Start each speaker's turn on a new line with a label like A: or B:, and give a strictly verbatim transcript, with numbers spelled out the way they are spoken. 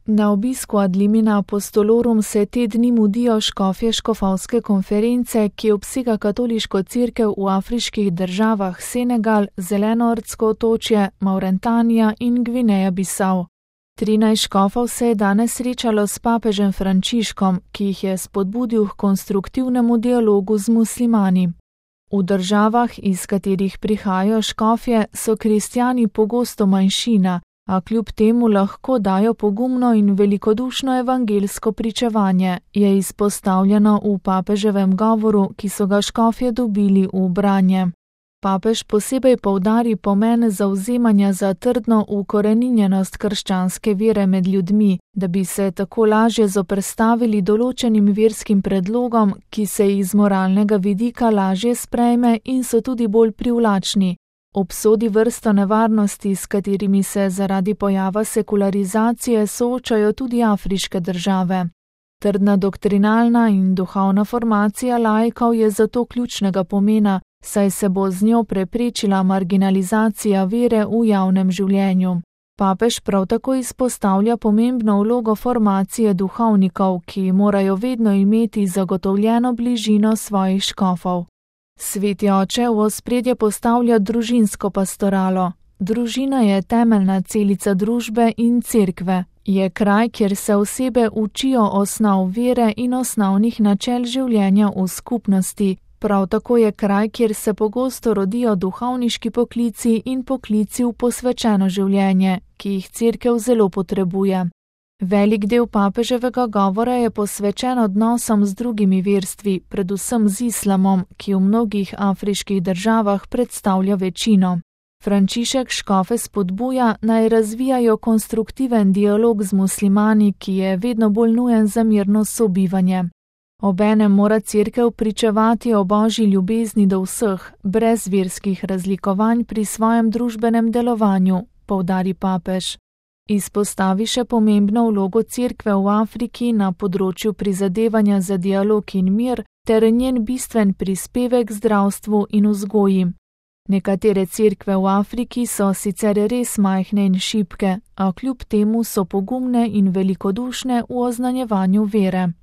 A: Na obisku Ad limina apostolorum se te dni mudijo škofje škofovske konference, ki obsega katoliško cerkev v afriških državah Senegal, Zelenoordsko otočje, Mauretanija in Gvineja Bisau. Trinajst škofov se je danes srečalo s papežem Frančiškom, ki jih je spodbudil k konstruktivnemu dialogu z muslimani. V državah, iz katerih prihajajo škofje, so kristjani pogosto manjšina, a kljub temu lahko dajo pogumno in velikodušno evangelsko pričevanje, je izpostavljeno v papeževem govoru, ki so ga škofje dobili v branje. Papež posebej poudari pomen zavzemanja za trdno ukoreninjenost krščanske vere med ljudmi, da bi se tako lažje zoperstavili določenim verskim predlogom, ki se iz moralnega vidika lažje sprejme in so tudi bolj privlačni. Obsodi vrsto nevarnosti, s katerimi se zaradi pojava sekularizacije soočajo tudi afriške države. Trdna doktrinalna in duhovna formacija laikov je zato ključnega pomena, saj se bo z njo preprečila marginalizacija vere v javnem življenju. Papež prav tako izpostavlja pomembno vlogo formacije duhovnikov, ki morajo vedno imeti zagotovljeno bližino svojih škofov. Sveti oče v ospredje postavlja družinsko pastoralo. Družina je temeljna celica družbe in cerkve. Je kraj, kjer se osebe učijo osnov vere in osnovnih načel življenja v skupnosti. Prav tako je kraj, kjer se pogosto rodijo duhovniški poklici in poklici v posvečeno življenje, ki jih cerkev zelo potrebuje. Velik del papeževega govora je posvečen odnosom z drugimi verstvi, predvsem z islamom, ki v mnogih afriških državah predstavlja večino. Frančišek škofe spodbuja, naj razvijajo konstruktiven dialog z muslimani, ki je vedno bolj nujen za mirno sobivanje. Obenem mora cerkev pričevati o božji ljubezni do vseh, brez verskih razlikovanj pri svojem družbenem delovanju, poudari papež. Izpostavi še pomembno vlogo cerkve v Afriki na področju prizadevanja za dialog in mir ter njen bistven prispevek zdravstvu in vzgoji. Nekatere cerkve v Afriki so sicer res majhne in šibke, a kljub temu so pogumne in velikodušne v oznanjevanju vere.